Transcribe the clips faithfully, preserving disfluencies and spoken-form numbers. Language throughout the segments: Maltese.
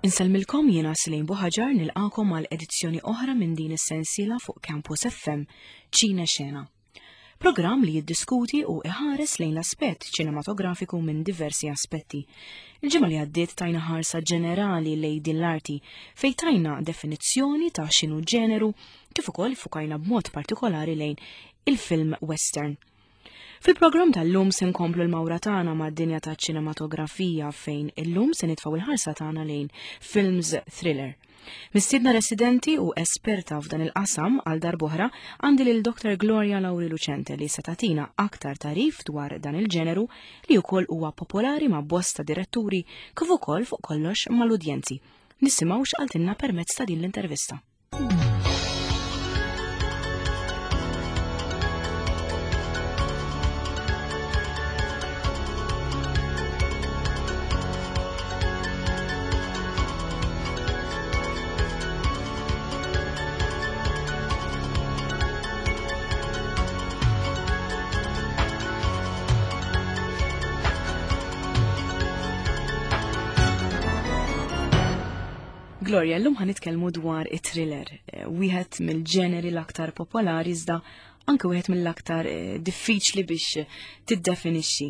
Insellmilkom jiena Celine Buhagiar nilqakom għal edizzjoni oħra minn din is-sensiela fuq Campus FM Ċine Xena. Programm li jiddiskuti u iħares lejn l-aspett ċinematografiku minn diversi aspetti. Il-ġimgħa li għaddiet tajna ħarsa ġenerali lejn din l-arti fejn tajna definizzjoni ta' x'inhu ġeneru kif ukoll fukajna b'mod partikolari lejn il-film western. Fil-programm tal-lum se nkomplu l-mawra tagħna mad-dinja ta' ċinematografija fejn illum se nitfgħu il-ħarsa tagħna lejn films thriller. Mistiedna residenti u esperta f'dan il-qasam għal darb'oħra għandi lil Dr. Gloria Lauri Lucente li se tagħtina aktar tagħrif dwar dan il-ġeneru li wkoll huwa popolari ma' bosta diretturi kif ukoll fuq kollox mal-udjenzi. Nisimgħu x'qaltilna permezz ta' din l-intervista. Gloria, l-lum ħa nitkellmu dwar it-thriller, eh, wieħed mill-ġeneri l-aktar popolari iżda anke wieħed mill-aktar eh, diffiċli biex tiddefinixxi.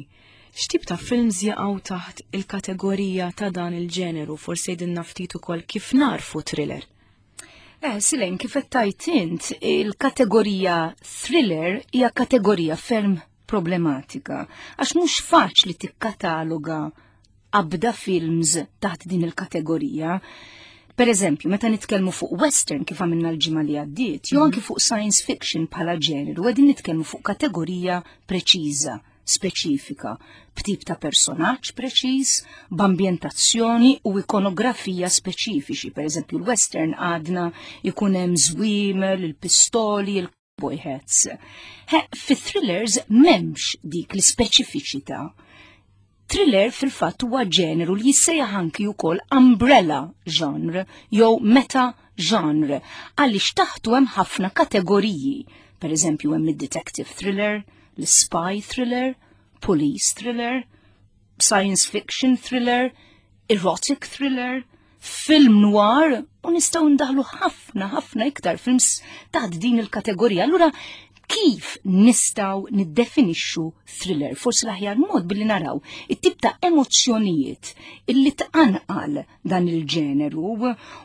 X'tip ta' films jaqgħu taħt il-kategorija ta' dan il-ġeneru, forsi jgħidilna ftit ukoll kif narfu thriller? Eh, Celine, kif qed tgħid int, il-kategorija thriller hija kategorija ferm problematika, għax mhux faċli tikkataloga abda films taħt din il-kategorija. Per eżempju, meta nitkellmu fuq western kif għamilna l-ġimgħa li għaddiet, jew anki fuq science fiction bħala ġeneru, qegħdin nitkellmu fuq kategorija preċiża, speċifika, b'tip ta' personaġġ preċiż, b'ambjentazzjoni u ikonografija speċifiċi. Per eżempju, l-western għadna jkun hemm żwiemel, il-pistoli, il-cowboy hats. He, fi thrillers m'hemmx dik l-ispeċifiċità. Thriller fil-fatt huwa ġeneru li jissejjaħ anki wkoll umbrella genre jew meta genre għaliex taħtu hemm ħafna kategoriji. Per eżempju hemm id-detective thriller, l-spy thriller, police thriller, science fiction thriller, erotic thriller, film noir, u nistgħu ndaħlu ħafna ħafna iktar films taħt din il-kategorija. Allura kif nistgħu niddefinixxu thriller? Forsi l-aħjar mod billi naraw it-tip ta' emozzjonijiet illi tqanqal dan il-ġeneru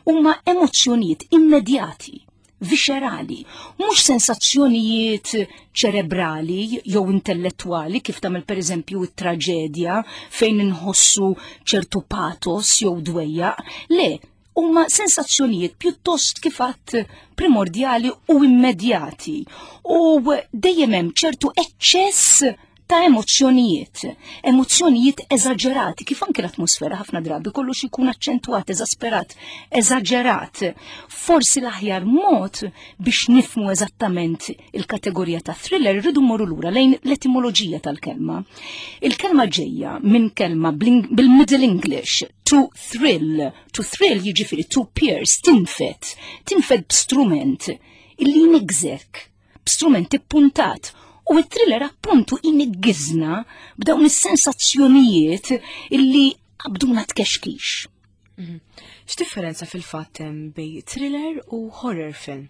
huma emozzjonijiet immedjati, viscerali, mhux sensazzjonijiet ċerebrali jew intellettwali kif tagħmel pereżempju it-traġedja fejn inħossu ċertu pathos jew dwejjaq, le, huma sensazzjonijiet pjuttost kif għadt primordjali u immedjati u dejjem hemm ċertu eċċess ta' emozzjonijiet, emozzjonijiet eżaġerati, kif anke l-atmosfera ħafna drabi kollox ikun aċċentwat, eżasperat, eżaġerat. Forsi l-aħjar mod biex nifmu eżattament il-kategorija ta' thriller rridu mmorru lura lejn l-etimoloġija tal-kelma. Il-kelma ġejja minn kelma bil-Middle English, to thrill. To thrill jiġifieri to pierce, tinfed, tinfed b'strument illi jnigżek, b'strument ippuntat. U it-thriller appuntu iniggizna b'dawn is-sensazzjonijiet illi qabduna tkexkix. Mhm. X'differenza fil-fatt hemm bejn thriller u horror film?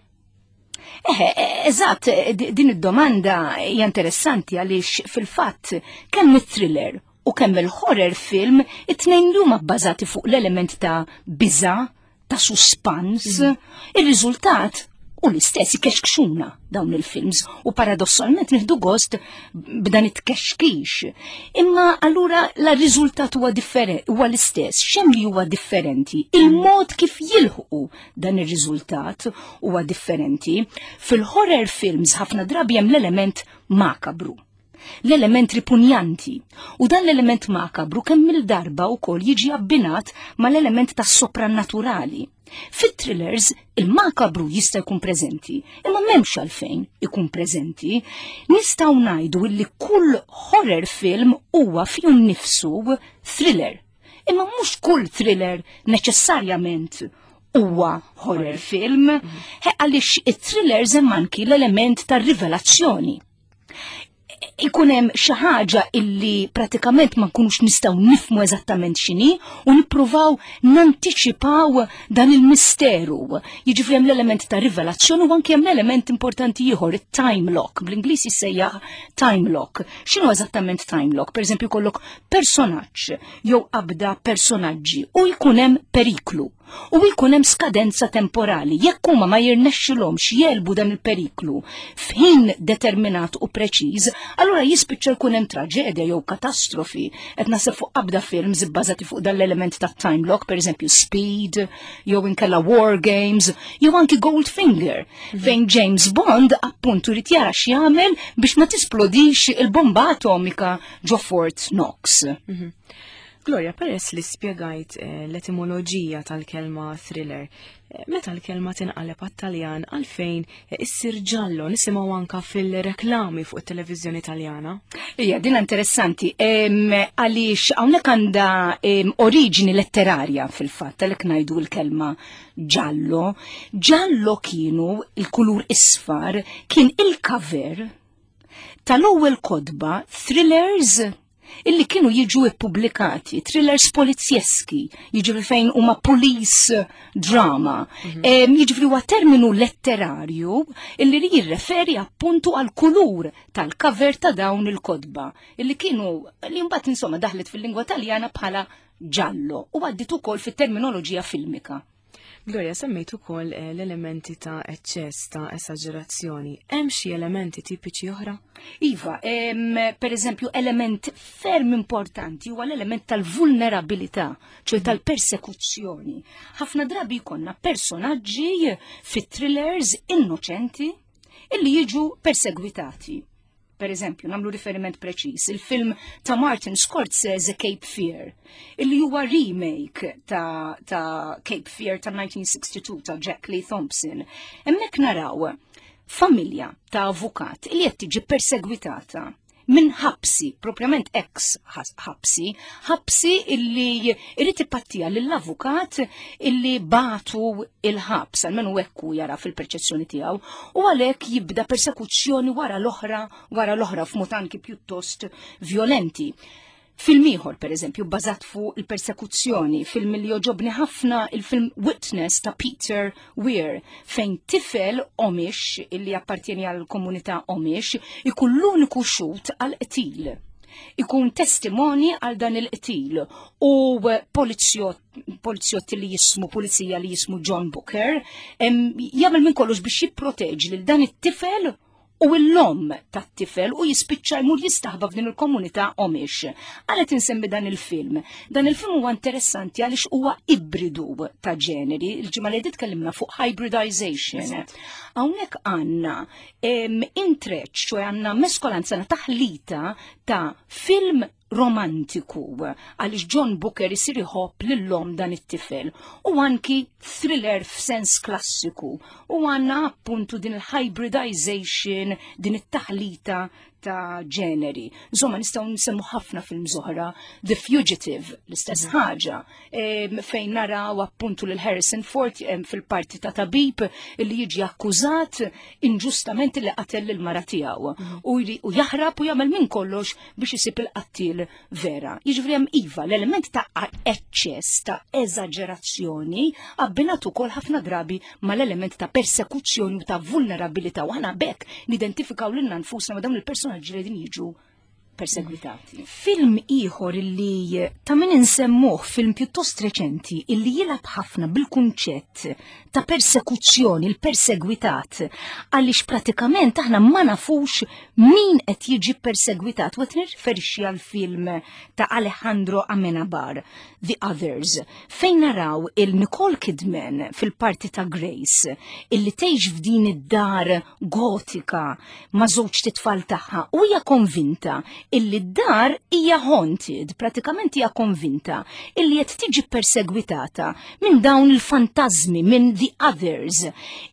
Eħe, eżatt, din id-domanda hija interessanti għaliex fil-fatt kemm it-thriller u kemm il-horror film it-tnejn li huma bbażati fuq l-element ta' biża, ta' suspans, mhm. ir-riżultat u l-istess ikexkxuna dawn il-films u paradossalment nieħdu gost b'dan it-kexkix. Imma allura la riżultat huwa differenti, huwa l-istess, x'hemm li huwa differenti? Il-mod kif jilħqu dan ir-riżultat huwa differenti. Fil-horror films ħafna drabi hemm l-element makabru, l-element ripunjanti. U dan l-element makabru kemm il-darba wkoll jiġi abbinat mal-element tas-soprannaturali. Fit-thrillers, il-makabru jista' jkun preżenti, imma m'hemmx għalfejn ikun preżenti. Nistgħu ngħidu li kull horror film huwa fih nnifsu thriller. Imma mhux kull thriller neċessarjament huwa horror film, għaliex it-thrillers hemm anki l-element tar-rivelazzjoni. Ikun hemm xi ħaġa illi pratikament ma nkunux nistgħu nifhmu eżattament x'inhi u nippruvaw nantiċipaw dan il-misteru. Jiġifieri hemm l-element ta' rivelazzjoni u anke hemm l-element importanti ieħor, it-time lock. Bl-Ingliż jissejjaħ time lock. X'inhu eżattament time lock? Pereżempju, jkollok personaġġ jew qabda personaġġi u jkun hemm periklu u jkun hemm skadenza temporali. Jekk huma ma jirnexxilhomx jegħlbu dan il-periklu f'ħin determinat u preċiż, allura jispiċċa jkun hemm traġedja jew katastrofi. Qed naħseb fuq qabda films ibbażati fuq dan l-element ta' time lock, pereżempju Speed, jew inkella War Games, jew anki Goldfinger, mhm. fejn James Bond appuntu jrid jara x'jagħmel biex ma tisplodix il-bomba atomika ġo Fort Knox. Mm -hmm. Gloria, peress li spiegajt eh, l-etimoloġija tal-kelma thriller, eh, meta l-kelma tinqaleb għat-Taljan, għalfejn eh, issir giallo, nisimgħu anka fil-reklami fuq it-televiżjoni Taljana? Ija, din interessanti, għaliex hawnhekk għandha oriġini letterarja fil-fatt, għalhekk ngħidu l-kelma giallo. Giallo kienu il-kulur isfar, kien il-cover tal-ewwel kotba thrillers illi kienu jiġu ippubblikati, thrillers polizjeski, jiġifieri fejn huma police drama. Mm -hmm. Jiġifieri huwa terminu letterarju illi jirreferi appuntu għal kulur tal-cover ta' dawn il-kotba illi kienu li mbagħad insomma daħlet fil-lingwa Taljana bħala giallo u għaddit ukoll fit-terminoloġija filmika. Gloria, semmejt ukoll eh, l-elementi ta' eċċess, ta' esaġerazzjoni. Hemm xi elementi tipiċi oħra? Iva, em, per eżempju, element ferm importanti huwa l-element tal-vulnerabilità, ċoè mhm. tal-persekuzzjoni. Ħafna drabi jkollna personaġġi fit-thrillers innoċenti illi jiġu persegwitati. Per eżempju, nagħmlu riferiment preċis, il-film ta' Martin Scorsese, Cape Fear, illi huwa remake ta', ta Cape Fear ta' elf disa' mija u sitta u sittin ta' Jack Lee Thompson. Hemmhekk naraw familja ta' avukat illi qed tiġi persegwitata minn ħabsi, propjament ex ħabsi, ħabsi illi irid ipattija lill-avukat illi bagħtu il-ħabs, almenu hekk hu jara fil-perċezzjoni tiegħu, u għalhekk jibda persekuzzjoni wara l-oħra, wara l-oħra, f'mod anki pjuttost violenti. Film ieħor, per eżempju, bażat fuq il-persekuzzjoni, film li jogħġobni ħafna, il-film Witness ta' Peter Weir, fejn tifel Amish illi appartieni għal komunità Amish ikun l-uniku xhud għal qtil. Ikun testimoni għal dan il-qtil u polizzjott li jismu, pulizija li jismu John Booker, jagħmel minn kollox biex jipproteġi lil dan it-tifel u l-omm tat-tifel u jispiċċa jmur jistaħba f'din il-komunità Amish. Għalet insemmi dan il-film? Dan il-film huwa interessanti għaliex huwa ibridu ta' ġeneri. Il-ġimgħa li tkellimna fuq hybridization. Hawnhekk għandna intreċ, ċoè għandna meskolanza, taħlita ta' film romantiku għaliex John Booker isir iħobb lil-omm dan it-tifel u anki thriller f'sens klassiku u għandna appuntu din il-hybridization, din it-taħlita ta' ġeneri. Insomma, nistgħu nsemmu ħafna film oħra, The Fugitive, l-istess mhm. ħaġa, fejn naraw appuntu lil Harrison Ford fil-parti ta' tabib li jiġi akkużat inġustament li qatel lil mara tiegħu mhm. u jaħrab u jagħmel minn kollox biex isib il-qattil vera. Jiġifieri hemm, iva, l-element ta' eċċess, ta' eżaġerazzjoni abbinat ukoll ħafna drabi mal-element ta' persekuzzjoni u ta' vulnerabilità u aħna b'hekk nidentifikaw lilna nfusna ma' dawn il-personaġġi li din jiġu persegwitati. Film ieħor illi ta' min insemmuh, film pjuttost reċenti illi jilgħab ħafna bil-kunċett ta' persekuzzjoni, il-persegwitat, għaliex pratikament aħna ma nafux min qed jiġi persegwitat, u qed nirriferixxi għal film ta' Alejandro Amenabar, The Others, fejn naraw il-Nicole Kidman fil-parti ta' Grace, illi tgħix f'din id-dar gotika ma' żewġ titfal tagħha u hija konvinta illi d-dar hija haunted, pratikament hija konvinta illi qed tiġi persegwitata minn dawn il-fantasmi, minn the others.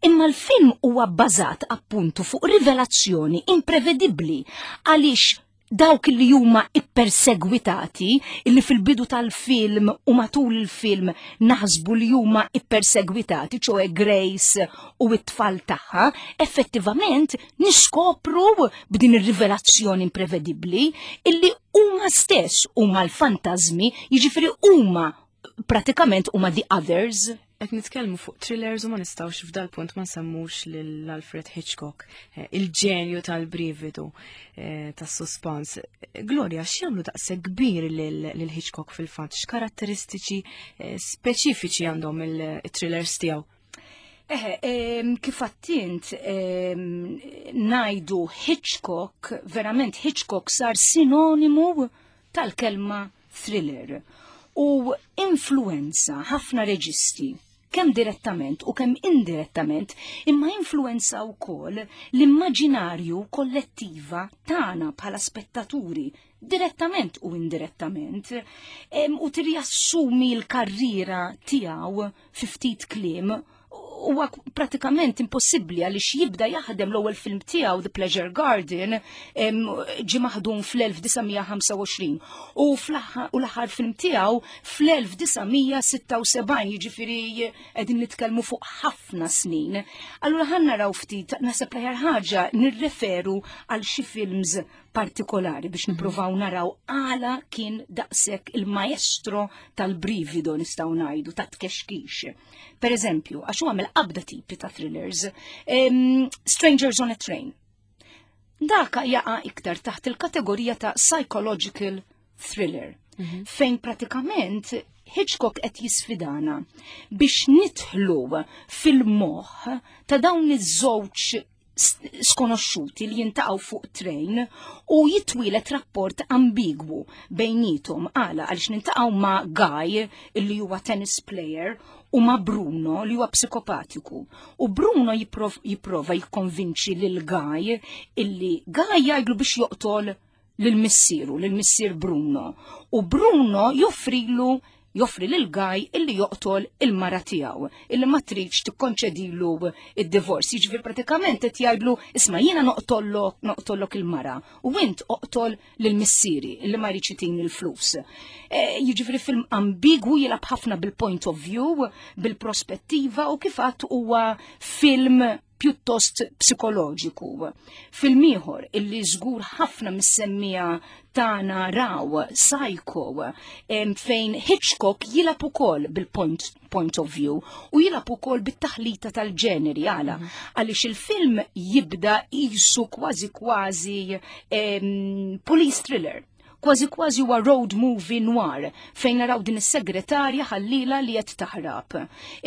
Imma l-film huwa bbażat appuntu fuq rivelazzjoni imprevedibbli għaliex Dawk li huma ippersegwitati, illi fil-bidu tal-film u matul il-film naħsbu li huma ippersegwitati, ċoè Grace u it-tfal tagħha, effettivament niskopru b'din ir-rivelazzjoni imprevedibbli illi huma stess huma l-fantażmi, jiġifieri huma pratikament huma the others. Qed nitkellmu fuq thrillers u ma nistgħux f'dal punt ma nsemmux lil Alfred Hitchcock, eh, il-ġenju tal-brividu, eh, tas-suspans. Gloria, x'jagħmlu daqshekk kbir lil Hitchcock fil-fatt? X'karatteristiċi eh, speċifiċi għandhom il-thrillers tiegħu? Eħe, kif għedt int ngħidu Hitchcock, verament Hitchcock sar sinonimu tal-kelma thriller u influenza ħafna reġisti kemm direttament u kemm indirettament, imma influenza wkoll l-immaġinarju kollettiva tagħna bħala spettaturi, direttament u indirettament, u tirjassumi l-karriera tiegħu fi ftit kliem huwa pratikament impossibbli, għaliex jibda jaħdem l-ewwel film tiegħu, The Pleasure Garden, ġi maħdum fl-elf disa' mija ħamsa u għoxrin u l-aħħar film tiegħu fl-elf disa' mija sitta u sebgħin, jiġifieri qegħdin nitkellmu fuq ħafna snin. Allura ħa naraw ftit, naħseb l-aħjar ħaġa nirreferu għal xi films partikolari biex mhm. nippruvaw naraw għala kien daqshekk il-maestro tal-brivido, nistgħu ngħidu, ta' tkexkix. Per eżempju, għax huwa qabda tipi ta' thrillers, um, Strangers on a Train. Daka jaqa' iktar taħt il-kategorija ta' psychological thriller, mm -hmm. fejn pratikament Hitchcock qed jisfidana biex nidħlu fil-moħħ ta' dawn iż-żewġ skonoxxuti li jiltaqgħu fuq train u jitwieled rapport ambigwu bejnietom. Għala? Għaliex niltaqgħu ma' Guy, illi huwa tennis player, u ma' Bruno, li huwa psikopatiku. U Bruno jipprova jikkonvinċi lil Guy illi Guy jgħidlu biex joqtol lil missieru, lil missier Bruno. U Bruno joffrilu joffri lil Guy illi joqtol il-mara tiegħu, illi ma tridx tikkonċedilu id-divorce. Jiġifieri pratikament qed jgħidlu: "Isma', jiena noqtollok noqtollok il-mara u int oqtol lil missieri illi ma jridx jtini l-flus." E, jiġifieri film ambigwu, jilgħab ħafna bil-point of view, bil-prospettiva u kif għedt huwa film pjuttost psikoloġiku. Film ieħor illi żgur ħafna mis-semmiegħa tagħna raw, Psycho, fejn Hitchcock jilgħab ukoll bil-point point of view u jilgħab ukoll bit-taħlita tal-ġeneri. Għala? Mhm. Għaliex il-film jibda qisu kważi kważi police thriller, kważi kważi huwa road movie noir fejn naraw din is-segretarja ħallila li qed taħrab.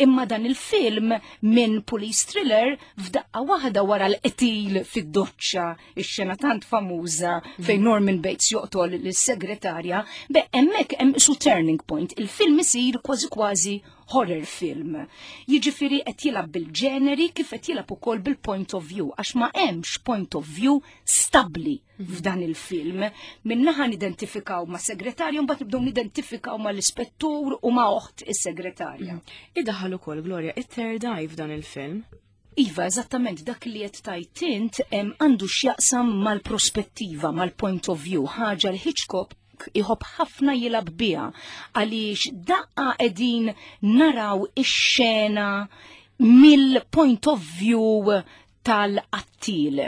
Imma dan il-film minn police thriller f'daqqa waħda, wara l-qtil fid-doċċa, ix-xena tant famuża fejn mhm. Norman Bates joqtol lis-segretarja, be hemmhekk hemm su turning point. Il-film isir kważi kważi horror film. Jiġifieri qed jilgħab bil-ġeneri kif qed jilgħab ukoll bil-point of view, għax ma hemmx point of view stabbli f'dan il-film. Minnaħa nidentifikaw ma' segretarju, mbagħad nibdew nidentifikaw ma' l-ispettur u ma' oħt is-segretarja. Idaħal ukoll, Gloria, it-third eye f'dan il-film. Iva, eżattament dak li qed tgħid int għandu x'jaqsam mal-prospettiva, mal-point of view, ħaġa li Hitchcock iħobb ħafna jilgħab biha, għaliex daqqa qegħdin naraw ix-xena mill-point of view tal-qattil.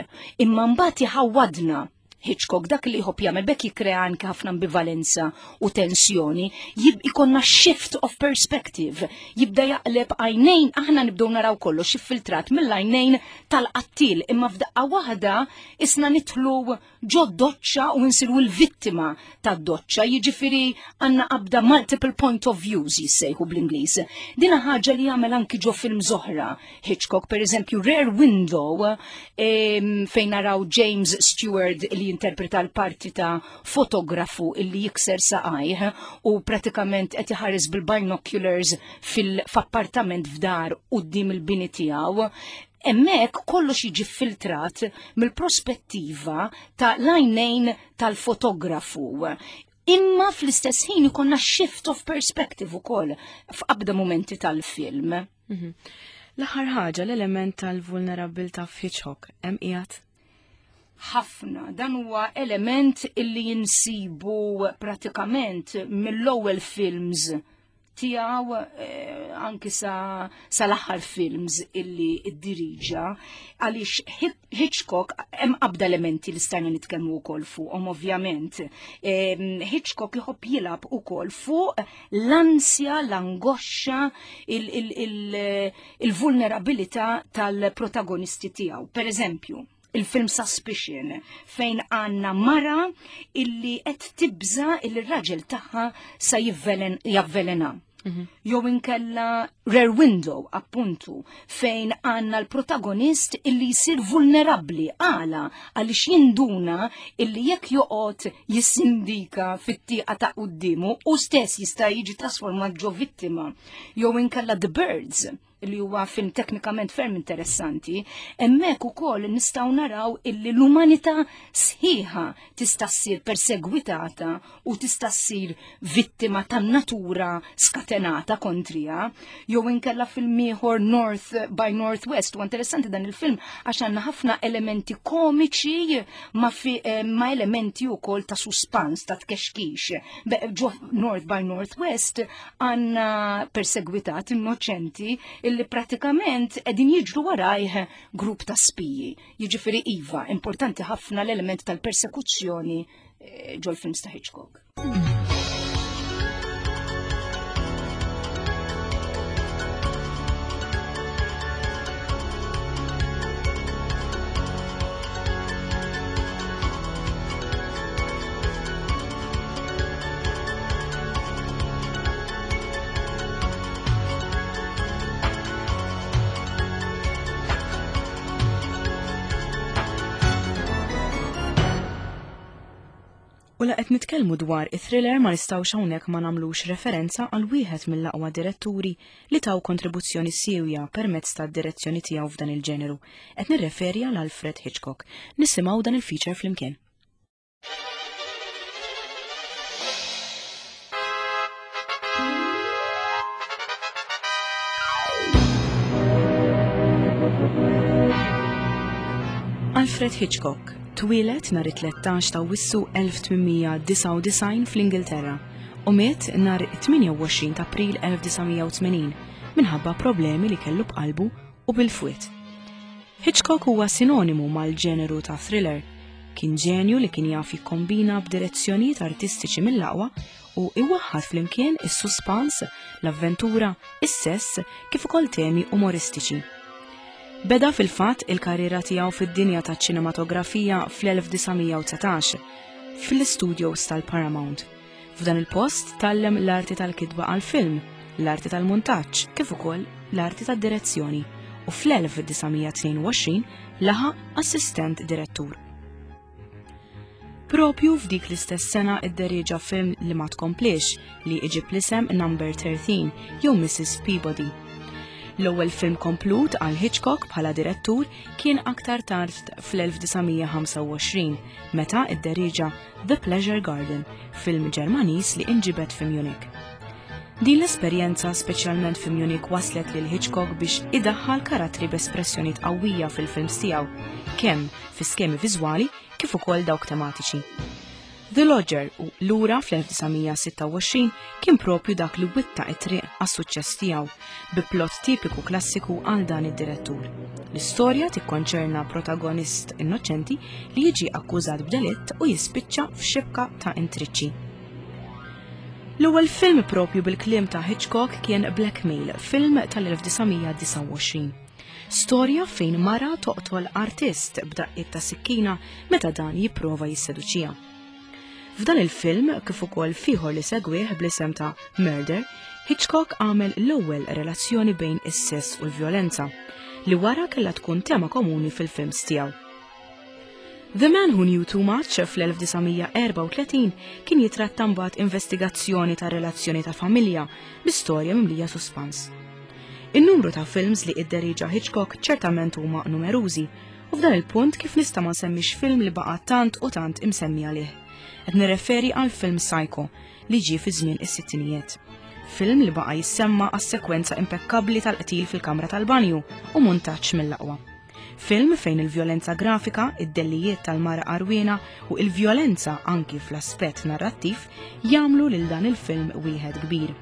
Imma mbagħad jħawwadna Hitchcock, dak li jħobb jagħmel, bekk jikkrea anke ħafna ambivalenza u tensjoni, jib ikollna shift of perspective, jibda jaqleb għajnejn, aħna nibdew naraw kollox iffiltrat mill-għajnejn tal-qattil, imma f'daqqa waħda isna nidħlu ġo doċċa u nsiru l-vittima tad-doċċa, jiġifieri għandna qabda multiple point of views jissejħu bl-Ingliż. Dina ħaġa li jagħmel anki ġo film oħra Hitchcock, per eżempju Rear Window, fejn naraw James Stewart li jinterpreta l-parti ta' fotografu illi jikser saqajh u pratikament qed iħares bil-binoculars fil-appartament f'dar quddiem il-bini tiegħu. Hemmhekk kollox jiġi filtrat mill-prospettiva ta' l-għajnejn tal-fotografu. Imma fl-istess ħin ikollna shift of perspective ukoll f'qabda momenti tal-film. Mhm. L-aħħar ħaġa, l-element tal-vulnerabilità f'Hitchcock hemm qiegħed? Ħafna, dan huwa element illi jinsibu pratikament mill-ewwel films tiegħu eh, anki sa sal-aħħar films illi iddiriġa, għaliex Hitchcock hemm qabda elementi li stajna nitkellmu wkoll fuqhom ovvjament. Hitchcock iħobb jilgħab ukoll fuq l-ansja, l-angosċa, il-vulnerabilità tal-protagonisti tiegħu. Per eżempju, il-film Suspicion, fejn għanna mara illi qed tibża illi r-raġel tagħha sa javvelena. Mhm. Jew inkella Rear Window, appuntu, fejn għanna l-protagonist illi jsir vulnerabli għala għaliex jinduna illi jekk joqgħod jissindika fit-tieqa ta' quddiemu u stess jista' jiġi trasformat ġo vittima. Jew inkella The Birds, li huwa film teknikament ferm interessanti, hemmhekk ukoll nistgħu naraw illi l-umanità sħiħa tista' ssir persegwitata u tista' ssir vittima tan-natura skatenata kontrija. Jew inkella film ieħor North by Northwest, u interessanti dan il-film għax għandna ħafna elementi komiċi ma, fi, eh, ma elementi wkoll ta' suspans, ta' tkexkix. Ġo North by Northwest għandna persegwitat innoċenti illi pratikament qegħdin jiġru warajh grupp ta' spiji. Jiġifieri iva, importanti ħafna l-element tal-persekuzzjoni eh, ġol-films ta' Hitchcock. U la qed nitkellmu dwar it-thriller ma nistgħux hawnhekk ma nagħmlux referenza għal wieħed mill-aqwa diretturi li taw kontribuzzjoni siewja permezz tad-direzzjoni tiegħu f'dan il-ġeneru. Qed nirreferi għal Alfred Hitchcock. Nisimgħu dan il-feature flimkien. Alfred Hitchcock twieled nhar it-tlettax ta' Awwissu elf tmien mija disgħa u disgħin fl-Ingilterra u miet nhar it-tmienja u għoxrin ta' April elf disa' mija u tmenin minħabba problemi li kellu b'qalbu u bil-fwied. Hitchcock huwa sinonimu mal-ġeneru ta' thriller. Kien ġenju li kien jaf jikkombina b'direzzjonijiet artistiċi mill-aqwa u iwaħħad flimkien is-suspans, l-avventura, is-sess kif ukoll temi umoristiċi. Beda fil-fatt il-karriera tiegħu fid-dinja taċ-ċinematografija fl-elf disa' mija u dsatax fil-studios tal-Paramount. F'dan il-post tgħallem l-arti tal-kitba għal-film, l-arti tal-muntaġġ, kif ukoll l-arti tad-direzzjoni u fl-elf disa' mija tnejn u għoxrin laħaq assistent direttur. Propju f'dik l-istess sena idderieġa film li ma tkomplix li iġib l-isem Number thirteen jew Missus Peabody. L-ewwel film komplut għal Hitchcock bħala direttur kien aktar tard fl-elf disa' mija ħamsa u għoxrin meta idderieġa The Pleasure Garden, film Ġermaniż li inġibed fi Munich. Din l-esperjenza speċjalment fi Munich waslet lil Hitchcock biex idaħħal karattri b'espressjonijiet qawwija fil-films tiegħu, kemm fi skemi viżwali kif ukoll dawk tematiċi. The Lodger u lura fl-elf disa' mija sitta u għoxrin kien propju dak li witta it-triq għas-suċċess tiegħu bi plot tipiku klassiku għal dan id-direttur. L-istorja tikkonċerna protagonist innoċenti li jiġi akkużat b'delitt u jispiċċa f'xibka ta' intriċċi. L-ewwel film propju bil-kliem ta' Hitchcock kien Blackmail, film tal-elf disa' mija disgħa u għoxrin. Storja fejn mara toqtol artist b'daqqiet ta' sikkina meta dan jipprova jisseduċija. F'dan il-film, kif ukoll fieħor li segwih bl-isem ta' Murder, Hitchcock għamel l-ewwel relazzjoni bejn is-sess u l-vjolenza, li wara kellha tkun tema komuni fil-films tiegħu. The Man Who Knew Too Much fl-elf disa' mija erba' u tletin kien jitratta mbagħad investigazzjoni ta' relazzjoni ta' familja bi storja mimlija suspans. In-numru ta' films li idderieġa Hitchcock ċertament huma numerużi, u f'dan il-punt kif nista' ma nsemmix film li baqa' tant u tant imsemmi għalih. Qed nirreferi għal film Psycho li ġie fi żmien is-sittinijiet. Film li baqa' jissemma għas-sekwenza impekkabbli tal-qtil fil-kamra tal-banju u muntaġġ mill-aqwa. Film fejn il-vjolenza grafika, id-dellijiet tal-mara għarwiena u il-vjolenza anki fl-aspett narrattiv jagħmlu lil dan il-film wieħed kbir.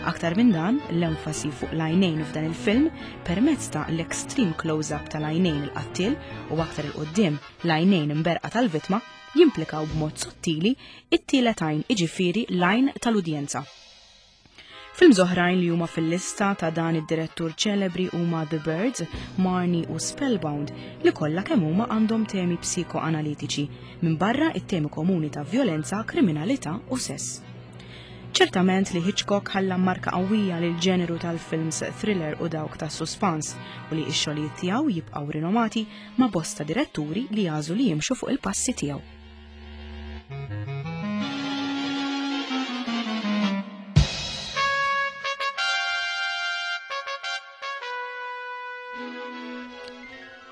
Aktar minn dan, l-enfasi fuq l-għajnejn f'dan il-film permezz ta' l-extreme close-up tal-għajnejn il-qattil u aktar 'il quddiem l-għajnejn imberqa tal-vittma jimplikaw b'mod sottili it-tielet għajn, iġifieri l-għajn tal-udjenza. Films oħrajn li huma fil-lista ta' dan id-direttur ċelebri huma The Birds, Marnie u Spellbound, li kollha kemm huma għandhom temi psikoanalitiċi minn barra it-temi komuni ta' violenza, kriminalità u sess. Ċertament li Hitchcock ħalla marka qawwija lil ġeneru tal-films thriller u dawk ta' suspans u li x-xogħlijiet tiegħu jibqgħu rinomati ma' bosta diretturi li jagħżlu li jimxu fuq il-passi tiegħu.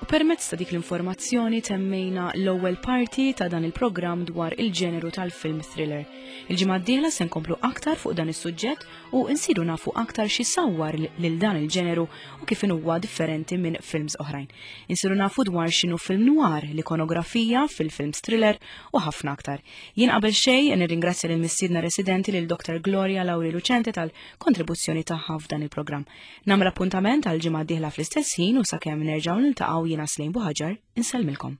U permezz ta' dik l-informazzjoni temmejna l-ewwel parti ta' dan il-programm dwar il-ġeneru tal-film thriller. Il-ġimgħa d-dieħla se nkomplu aktar fuq dan is-suġġett u nsiru nafu aktar xi sawwar lil dan il-ġeneru u kif huwa differenti minn films oħrajn. Insiru nafu dwar x'inhu film noir, l-ikonografija fil-films thriller u ħafna aktar. Jien qabel xejn nirringrazzja lil mistiedna residenti, lil Doktor Gloria Lauri Lucente, tal-kontribuzzjoni tagħha f'dan il-programm. Nagħmel appuntament għal ġimgħa d-dieħla fl-istess ħin u sakemm nerġgħu niltaqgħu, jiena Slejn Buħaġar insellmilkom.